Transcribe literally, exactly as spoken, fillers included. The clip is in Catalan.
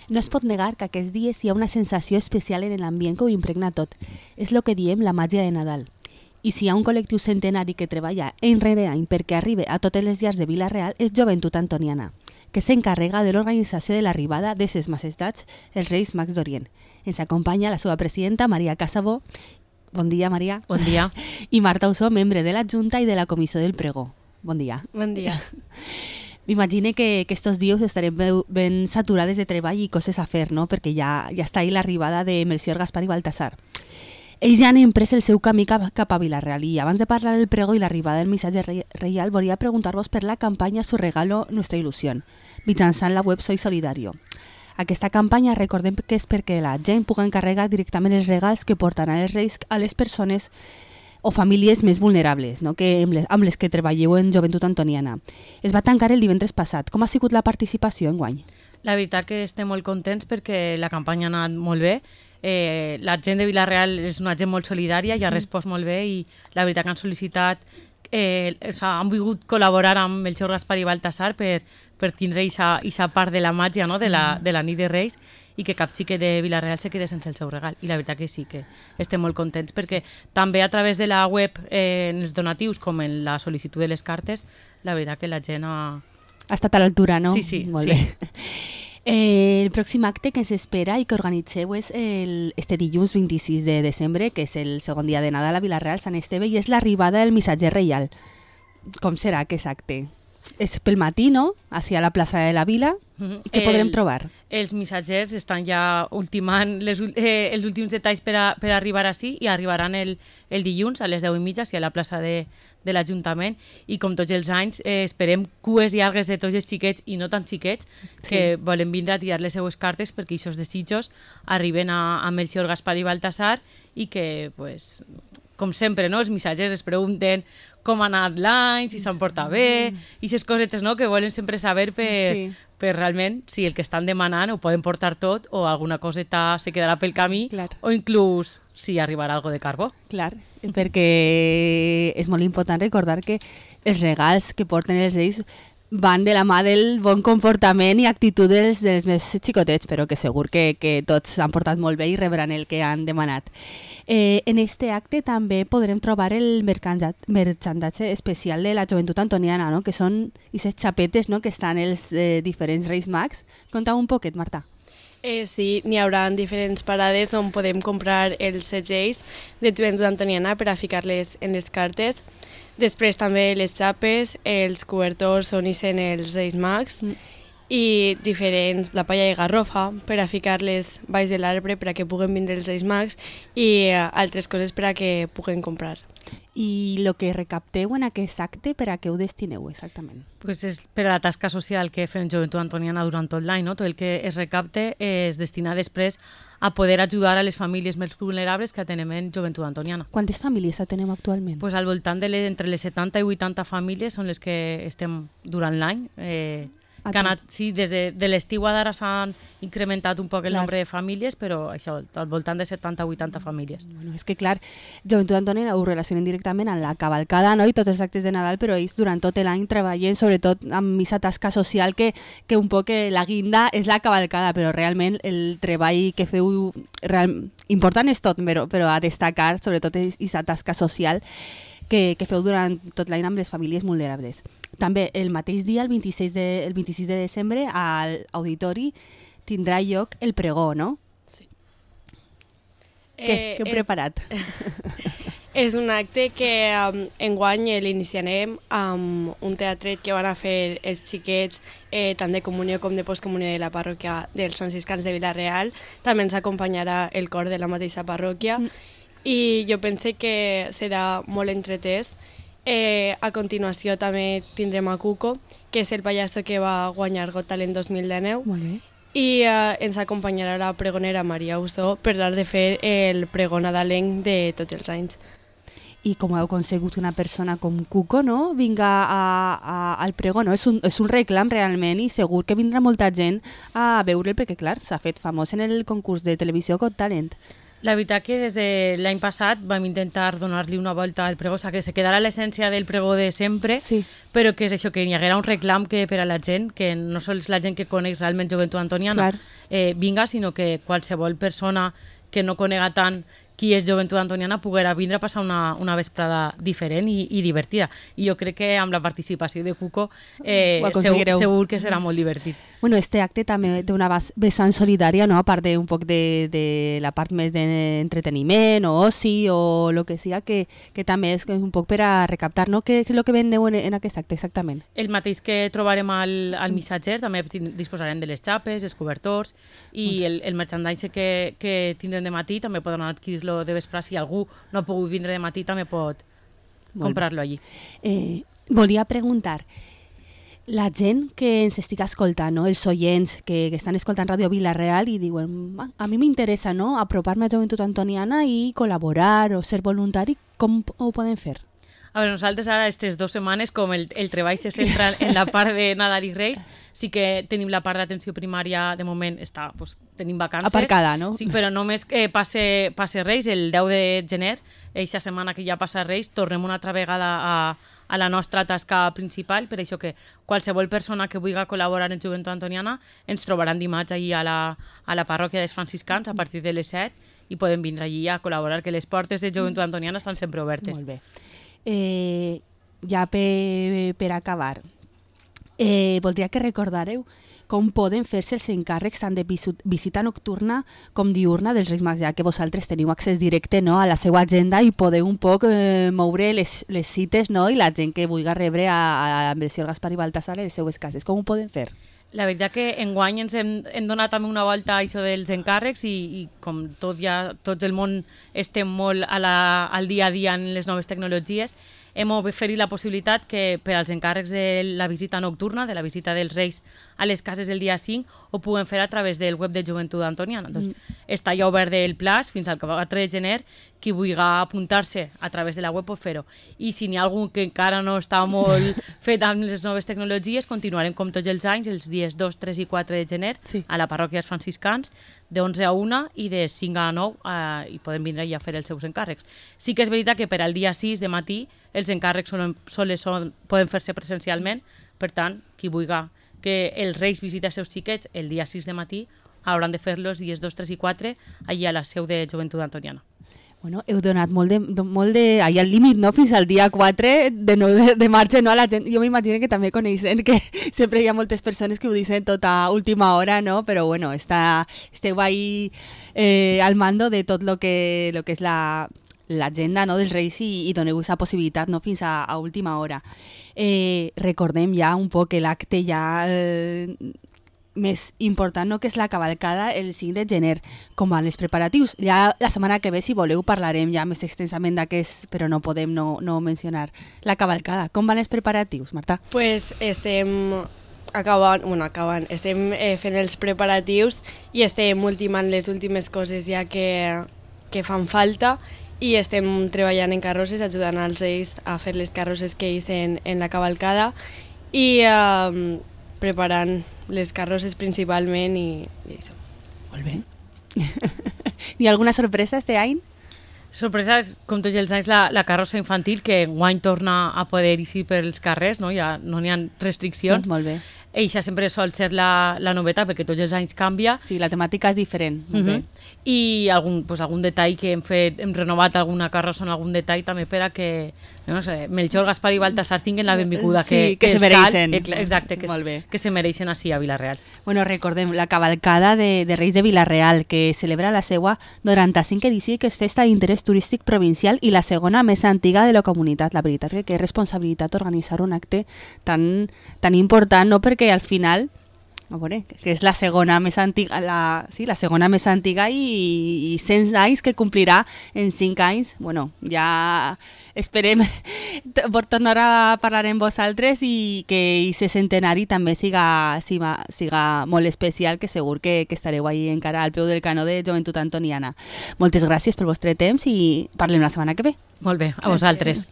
No es pot negar que aquests dies hi ha una sensació especial en l'ambient que ho impregna tot. És el que diem la màgia de Nadal. I si hi ha un col·lectiu centenari que treballa any rere any perquè arribi a totes les llars de Vila-real és Joventut Antoniana, que s'encarrega de l'organització de l'arribada de ses majestats els Reis Mags d'Orient. Ens acompanya la seva presidenta, Maria Casabó. Bon dia, Maria. Bon dia. I Marta Usó, membre de la Junta i de la Comissió del Pregó. Bon dia. Bon dia. M'imagine que, que estos dies estarem ben saturades de treball i coses a fer, no? Perquè ja, ja està ahí l'arribada de Melcior, Gaspar i Baltasar. Ells ja han emprès el seu camí cap, cap a Vila-real i abans de parlar del pregó i l'arribada del missatge reial volia preguntar-vos per la campanya Su regalo, nuestra ilusión, mitjançant la web Soy Solidario. Aquesta campanya recordem que és perquè la gent pugui encarregar directament els regals que portaran els reis a les persones o famílies més vulnerables, no? que amb, les, amb les que treballeu en Joventut Antoniana. Es va tancar el divendres passat. Com ha sigut la participació enguany? La veritat que estem molt contents perquè la campanya ha anat molt bé. Eh, la gent de Vila-real és una gent molt solidària i ha respost molt bé i la veritat que han sol·licitat, eh, han volgut col·laborar amb Melcior, Gaspar i Baltasar per, per tindre aquesta part de la màgia, no? de, la, de la nit de Reis, i que cap xiquet de Vila-real se quede sense el seu regal. I la veritat que sí, que estem molt contents perquè també a través de la web, eh, en els donatius com en la sol·licitud de les cartes, la veritat que la gent ha... Ha estat a l'altura, no? Sí, sí. Molt sí. bé. Eh, el pròxim acte que ens espera i que organitzeu és el, este dilluns vint-i-sis de desembre, que és el segon dia de Nadal a Vila-real, Sant Esteve, i és l'arribada del missatger reial. Com serà aquest acte? És pel matí, no? Hacia la plaça de la Vila. Mm-hmm. I què els, podrem trobar? Els missatgers estan ja ultimant les, eh, els últims detalls per, a, per arribar així i arribaran el, el dilluns a les deu i mitja a la plaça de, de l'Ajuntament i com tots els anys eh, esperem cues llargues de tots els xiquets i no tan xiquets sí. que volen vindre a tirar les seues cartes perquè aquests desitjos arriben a, a Melcior, Gaspar i Baltasar i que, pues, com sempre, no? Els missatgers es pregunten com ha anat l'any, si s'han portat bé, i aquestes cosetes, no? Que volen sempre saber per, sí. per realment si el que estan demanant ho poden portar tot o alguna coseta se quedarà pel camí Clar. O inclús si arribarà algo de carbó. Clar, perquè és molt important recordar que els regals que porten els reis van de la mà del bon comportament i actitud dels, dels més xicotets, però que segur que, que tots han portat molt bé i rebran el que han demanat. Eh, en este acte també podrem trobar el merchandatge especial de la Joventut Antoniana, no? Que són aquestes xapetes, no? Que estan els eh, diferents Reis Mags. Conta un poquet, Marta. Eh, sí, n'hi haurà diferents parades on podem comprar els segells de Joventut Antoniana per a ficar-les en les cartes. Després també les xapes, els cobertors on hi són els Reis Mags mm. i diferents, la palla de garrofa per a ficar-les baix de l'arbre per a que puguen vindre els Reis Mags i uh, altres coses per a que puguen comprar. I el que recapteu en aquest acte, per a què ho destineu exactament? Pues és per a la tasca social que fem Joventut Antoniana durant tot l'any, no? Tot el que es recapte es destina després a poder ajudar a les famílies més vulnerables que atenem en Joventut Antoniana. Quantes famílies atenem actualment? Pues al voltant de les, entre les setanta i vuitanta famílies són les que estem durant l'any. Eh, que anat, sí, des de, de l'estiu a d'ara s'han incrementat un poc el clar. Nombre de famílies, però això, al voltant de setanta a vuitanta famílies. Bueno, és que clar, Joventut Antoniana ho relacionen directament amb la cavalcada, no? I tots els actes de Nadal, però ells durant tot l'any treballen sobretot amb aquesta tasca social que, que un poc la guinda és la cavalcada, però realment el treball que feu real, important és tot, però, però a destacar sobretot aquesta tasca social que, que feu durant tot l'any amb les famílies vulnerables. També el mateix dia, el vint-i-sis de, el vint-i-sis de desembre, al auditori tindrà lloc el pregó, no? Sí. Què, eh, què heu és, preparat? És un acte que um, enguany l'iniciarem amb un teatret que van a fer els xiquets eh, tant de comunió com de postcomunió de la parròquia dels franciscans de Vila-real. També ens acompanyarà el cor de la mateixa parròquia mm. i jo pense que serà molt entretès. Eh, a continuació també tindrem a Cuco, que és el pallasso que va guanyar Got Talent dos mil dinou. Molt bé. I eh, ens acompanyarà la pregonera Maria Usó per tal de fer el pregó nadalenc de tots els anys. I com heu aconsegut una persona com Cuco, no? Vinga a, a, al pregó, no? És un, és un reclam realment i segur que vindrà molta gent a veure'l perquè, clar, s'ha fet famós en el concurs de televisió Got Talent. La veritat que des de l'any passat vam intentar donar-li una volta al pregó, o sigui, que se quedara l'essència del pregó de sempre, sí. però que és això, que hi haguera un reclam que per a la gent, que no sols la gent que coneix realment Joventut Antoniana eh, vinga, sinó que qualsevol persona que no conega tant qui és Joventut Antoniana poguera vindre a passar una, una vesprada diferent i, i divertida. I jo crec que amb la participació de Cuco eh, segur, segur que serà molt divertit. Bueno, este acte també té una vessant solidària, no? A part d'un poc de, de la part més d'entreteniment o oci o el que sigui, que, que també és un poc per a recaptar, no? Què és el que vendeu en, en aquest acte exactament? El mateix que trobarem al, al missatger, també disposarem de les xapes, els cobertors i el, el merchandise que, que tindrem de matí també podran adquirir de vespre, si algú no ha pogut vindre de matí també pot comprar-lo allí. Eh, volia preguntar, la gent que ens estic escoltant, no? Els oients que, que estan escoltant Ràdio Vila-real i diuen, a mi m'interessa, no? Apropar-me a Joventut Antoniana i col·laborar o ser voluntari, com ho poden fer? A veure, nosaltres ara, aquestes dues setmanes, com el, el treball se centra en la part de Nadal i Reis, sí que tenim la part d'atenció primària, de moment, està, pues, tenim vacances. Aparcada, no? Sí, però només eh, passe, passe Reis, el deu de gener, eixa setmana que ja passa Reis, tornem una altra vegada a, a la nostra tasca principal, per això que qualsevol persona que vulgui col·laborar en Joventut Antoniana ens trobaran dimarts allí a la, a la parròquia dels franciscans a partir de les set i podem vindre allí a col·laborar, que les portes de Joventut Antoniana estan sempre obertes. Molt bé. Eh, ja per, per acabar, eh, voldria que recordareu com poden fer-se els encàrrecs tant de visita nocturna com diurna dels Reis Mags, ja que vosaltres teniu accés directe, no, a la seva agenda i podeu un poc eh, moure les, les cites, no, i la gent que vulgui rebre a, a Melcior Gaspar i Baltasar a les seues cases. Com ho poden fer? La veritat que enguany ens hem, hem donat també una volta a això dels encàrrecs i, i com tot ja, tot el món estem molt a la, al dia a dia en les noves tecnologies, hem oferit la possibilitat que per als encàrrecs de la visita nocturna, de la visita dels Reis a les cases el dia cinc, ho puguem fer a través del web de Joventut Antoniana. Doncs, mm. Està ja obert el plaç fins al quatre de gener, qui vulgui apuntar-se a través de la web pot fer-ho. I si n'hi ha algun que encara no està molt fet amb les noves tecnologies, continuarem com tots els anys, els dies dos, tres i quatre de gener, sí. a la parròquia dels franciscans, de onze a una i de cinc a nou eh, i podem vindre ja a fer els seus encàrrecs. Sí que és veritat que per al dia sis de matí els encàrrecs són, sols són, poden fer-se presencialment, per tant, qui vulgui que els Reis visiten els seus xiquets el dia sis de matí hauran de fer-los els dies dos, tres i quatre allà a la seu de Joventut Antoniana. Bueno, heu donat molt de, molt de allà al límit, no? Fins al dia quatre de, no, de, de marxa, no? A la gent, jo m'imagino que també coneixen que sempre hi ha moltes persones que ho diuen tot a última hora, no? Però bueno, està, esteu ahí eh, al mando de tot lo que, lo que és la l'agenda, no, dels Reis i, i doneu aquesta possibilitat, no, fins a, a última hora. Eh, recordem ja un poc que l'acte ja eh, més important, no, que és la cavalcada el cinc de gener. Com van els preparatius? Ja la setmana que ve, si voleu, parlarem ja més extensament d'aquest, però no podem no, no mencionar la cavalcada. Com van els preparatius, Marta? Pues estem acabant, bueno, acabant, estem eh, fent els preparatius i estem ultimant les últimes coses ja que, que fan falta i estem treballant en carrosses, ajudant als Reis a fer les carrosses que ells en, en la cavalcada i eh, preparant les carrosses principalment i, i això. Molt bé. Hi ha alguna sorpresa este any? Sorpresa és, com tots els anys, la, la carrossa infantil, que enguany torna a poder eixir pels carrers, no? Ja no n'hi ha restriccions. Sí, molt bé. Eixa sempre sol ser la, la novetat, perquè tots els anys canvia. Sí, la temàtica és diferent. Molt uh -huh. bé. I algun, pues, algun detall que hem fet, hem renovat alguna carrossa en algun detall també per a que, no sé, Melcior, Gaspar i Baltasar tinguin la benvinguda sí, que, que, que se mereixen. Cal, exacte, que, molt bé. que se mereixen així a Vila-real. Bueno, recordem la cavalcada de, de Reis de Vila-real, que celebra la seva noranta-cinquena edició i que és festa d'interès turístic provincial i la segona més antiga de la comunitat. La veritat que, que és responsabilitat organitzar un acte tan, tan important, no? Perquè al final, a veure, que és la segona més antiga, la, sí, la segona més antiga i, i cent anys que complirà en cinc anys. Bueno, ja esperem per tornar a parlar amb vosaltres i que aquest centenari també siga, siga, siga molt especial, que segur que, que estareu ahí encara al peu del canó de Joventut Antoniana. Moltes gràcies pel vostre temps i parlem la setmana que ve. Molt bé, a vosaltres.